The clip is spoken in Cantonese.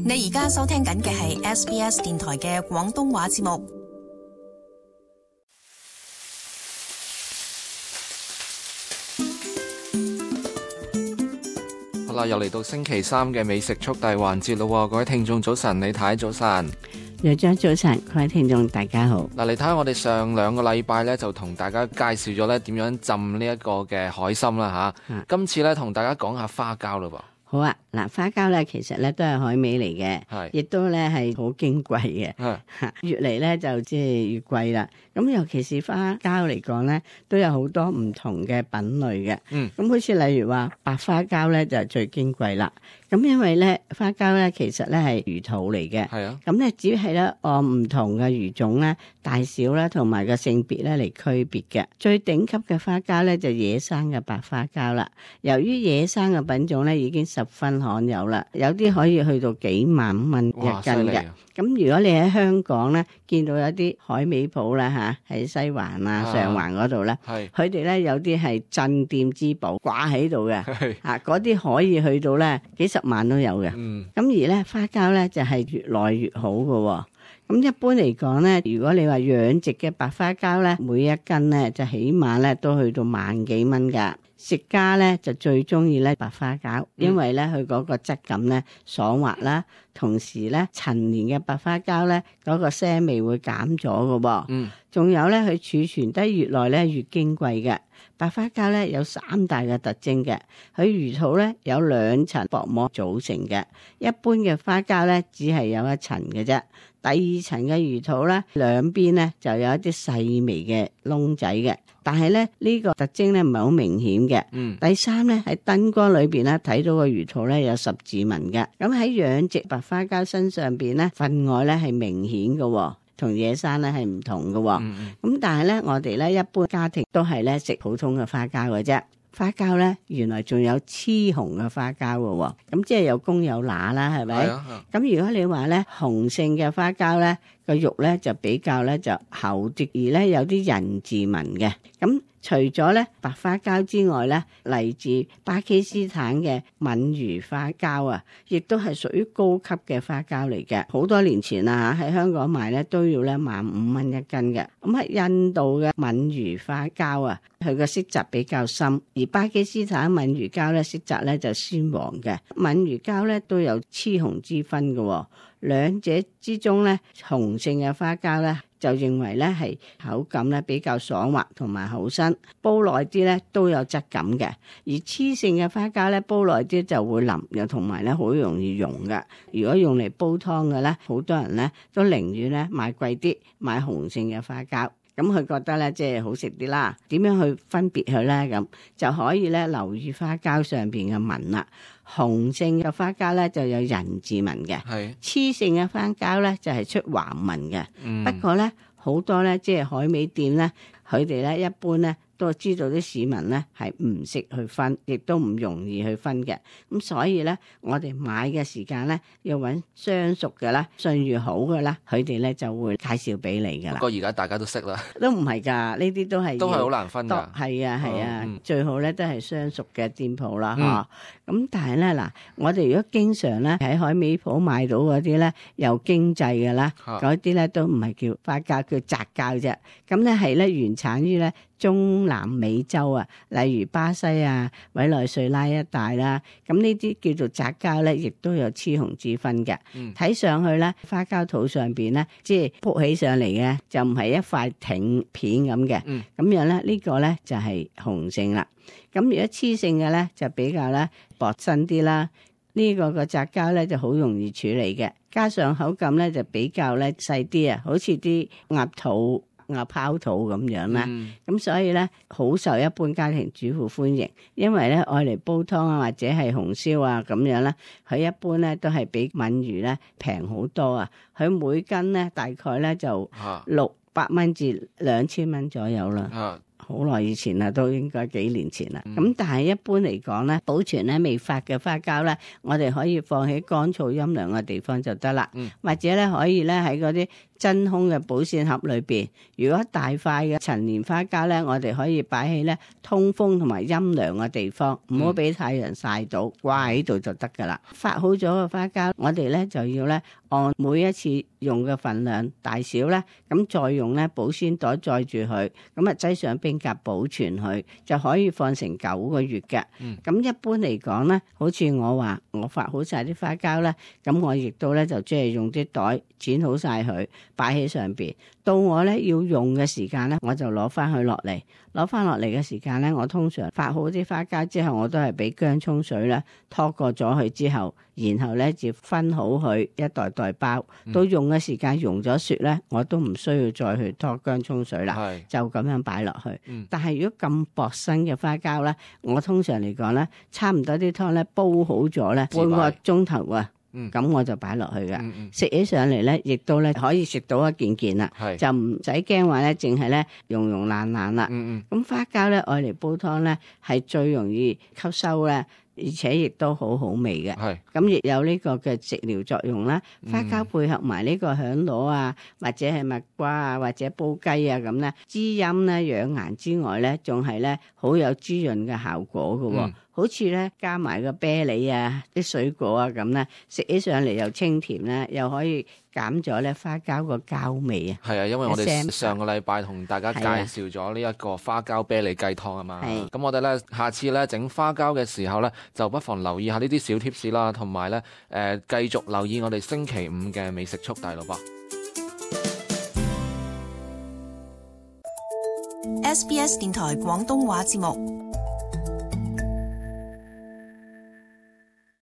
你而家收聽緊嘅係 SBS 電台嘅廣東話節目。好啦，又嚟到星期三嘅美食速遞環節咯，各位聽眾早晨，李太早晨，楊張早晨，各位聽眾大家好。嗱，你睇下我哋上兩個禮拜咧就同大家介紹咗咧點樣浸呢一個嘅海參啦吓，今次咧同大家講下花膠咯噃。好啊，嗱，花膠咧其實咧都係海味嚟嘅，亦都咧係好矜貴嘅，越嚟咧就即係越貴啦。咁尤其是花膠嚟講咧，都有好多唔同嘅品類嘅。咁好似例如話白花膠咧就係最矜貴啦。咁因為咧花膠咧其實咧係魚肚嚟嘅，咁咧只係咧按唔同嘅魚種咧大小啦同埋個性別咧嚟區別嘅。最頂級嘅花膠咧就野生嘅白花膠啦。由於野生嘅品種咧已經十分罕有啦，有啲可以去到幾萬蚊一斤嘅。咁如果你喺香港咧見到有啲海味鋪啦嚇，喺西環啊上環嗰度咧，佢哋咧有啲係鎮店之寶掛喺度嘅，嗰啲可以去到咧幾十萬都有嘅。咁而咧花膠咧就係越來越好嘅。咁一般嚟講咧，如果你話養殖嘅白花膠咧，每一斤咧就起碼咧都去到萬幾蚊㗎。食家咧就最中意咧白花膠，因為咧佢嗰個質感咧爽滑啦，同時咧陳年嘅白花膠咧嗰個腥味會減咗㗎喎。仲有咧佢儲存得越耐咧越矜貴嘅。白花膠咧有3大嘅特徵嘅，佢魚肚咧有2層薄膜組成嘅，一般嘅花膠咧只係有1層嘅啫。第2層嘅魚肚咧兩邊咧就有一啲細微嘅窿仔嘅，但係咧呢個特徵咧唔係好明顯嘅。第3咧喺燈光裏邊咧睇到個魚肚咧有十字紋嘅，咁喺養殖白花膠身上邊咧分外咧係明顯嘅。同野生咧係唔同嘅。咁但係咧我哋咧一般家庭都係咧食普通嘅花膠嘅啫。花膠咧原來仲有雌雄嘅花膠嘅，咁即係有公有乸啦，係咪？咁如果你話咧雄性嘅花膠咧個肉咧就比較咧就厚啲，而咧有啲人字紋嘅。咁除咗咧白花膠之外咧，嚟自巴基斯坦嘅閩魚花膠啊，亦都係屬於高級嘅花膠嚟嘅。好多年前啊喺香港賣咧都要咧15,000蚊一斤嘅。咁喺印度嘅閩魚花膠啊，佢個色澤比較深，而巴基斯坦閩魚膠咧色澤咧就鮮黃嘅。閩魚膠咧都有雌雄之分嘅，兩者之中咧雄性嘅花膠咧就認為咧係口感咧比較爽滑同埋好身，煲耐啲咧都有質感嘅。而雌性嘅花膠咧煲耐啲就會腍，又同埋咧好容易溶嘅。如果用嚟煲湯嘅咧，好多人咧都寧願咧買貴啲，買雄性嘅花膠。咁佢覺得咧即係好食啲啦。點樣去分別佢咧？咁就可以咧留意花膠上邊嘅紋啦。雄性嘅花膠咧就有人字紋嘅，雌性嘅花膠咧就係出橫紋嘅。不過咧好多咧即係海味店咧，佢哋咧一般咧都知道啲市民咧係唔識去分，亦都唔容易去分嘅。咁所以咧我哋買嘅時間咧要揾相熟嘅啦，信譽好嘅啦，佢哋咧就會介紹俾你噶啦。不過而家大家都識啦，都唔係㗎，呢啲都係好難分㗎。係啊，最好咧都係相熟嘅店鋪啦，咁但係咧嗱，我哋如果經常咧喺海味鋪買到嗰啲咧又經濟嘅啦，嗰啲咧都唔係叫花膠，叫雜膠啫。咁咧係咧原產於咧中南美洲啊，例如巴西啊、委內瑞拉一帶啦。咁呢啲叫做雜膠咧，亦都有雌雄之分嘅。睇上去咧，花膠肚上邊咧，即係撲起上嚟嘅，就唔係一塊挺片咁嘅。咁樣咧，呢個咧就係雄性啦。咁如果雌性嘅咧，就比較咧薄身啲啦。呢個個雜膠咧就好容易處理嘅，加上口感咧就比較咧細啲啊，好似啲鴨肚、鴨泡肚咁樣啦。咁所以咧好受一般家庭主婦歡迎，因為咧愛嚟煲湯啊或者係紅燒啊咁樣咧，佢一般咧都係比閩魚咧平好多啊。佢每斤咧大概咧就600蚊至2000蚊左右啦。好耐以前啦，都應該幾年前啦。咁但係一般嚟講咧，保存咧未發嘅花膠咧，我哋可以放喺乾燥陰涼嘅地方就得啦。或者咧可以咧喺嗰啲真空嘅保鮮盒裏邊。如果大塊嘅陳年花膠咧，我哋可以擺喺咧通風同埋陰涼嘅地方，唔好俾太陽曬到，掛喺度就得噶啦。發好咗嘅花膠，我哋咧就要咧按每一次用嘅份量大小咧，咁再用咧保鮮袋載住佢，咁啊擠上冰格保存佢，就可以放成9個月嘅。咁一般嚟講咧，好似我話我發好晒啲花膠咧，咁我亦都咧就即係用啲袋剪好晒佢，擺喺上邊。到我咧要用嘅時間咧，我就攞翻佢落嚟。攞翻落嚟嘅時間咧，我通常發好啲花膠之後，我都係俾薑蔥水咧拖過咗佢之後，然後咧就分好佢一袋袋包。到用嘅時間溶咗雪咧，我都唔需要再去拖薑蔥水啦，就咁樣擺落去。但係如果咁薄身嘅花膠咧，我通常嚟講咧，差唔多啲湯咧煲好咗咧，半個鐘頭啊。咁我就擺落去㗎，食起上嚟咧，亦都咧可以食到一件件啦，就唔使驚話咧，淨係咧溶爛啦。咁花膠咧，愛嚟煲湯咧，係最容易吸收咧，而且亦都好好味嘅。咁亦有呢個嘅食療作用啦。花膠配合埋呢個響螺啊，或者係蜜瓜啊，或者煲雞啊咁咧，滋陰咧、養顏之外咧，仲係咧好有滋潤嘅效果嘅。好似咧加埋個啤梨啊、啲水果啊咁咧，食起上嚟又清甜咧，又可以減咗咧花膠個膠味啊。係啊，因為我哋上個禮拜同大家介紹咗呢一個花膠啤梨雞湯啊嘛。咁我哋咧下次咧整花膠嘅時候咧，就不妨留意下呢啲小貼士啦，同埋咧繼續留意我哋星期五嘅美食速遞咯噃。SBS 電台廣東話節目。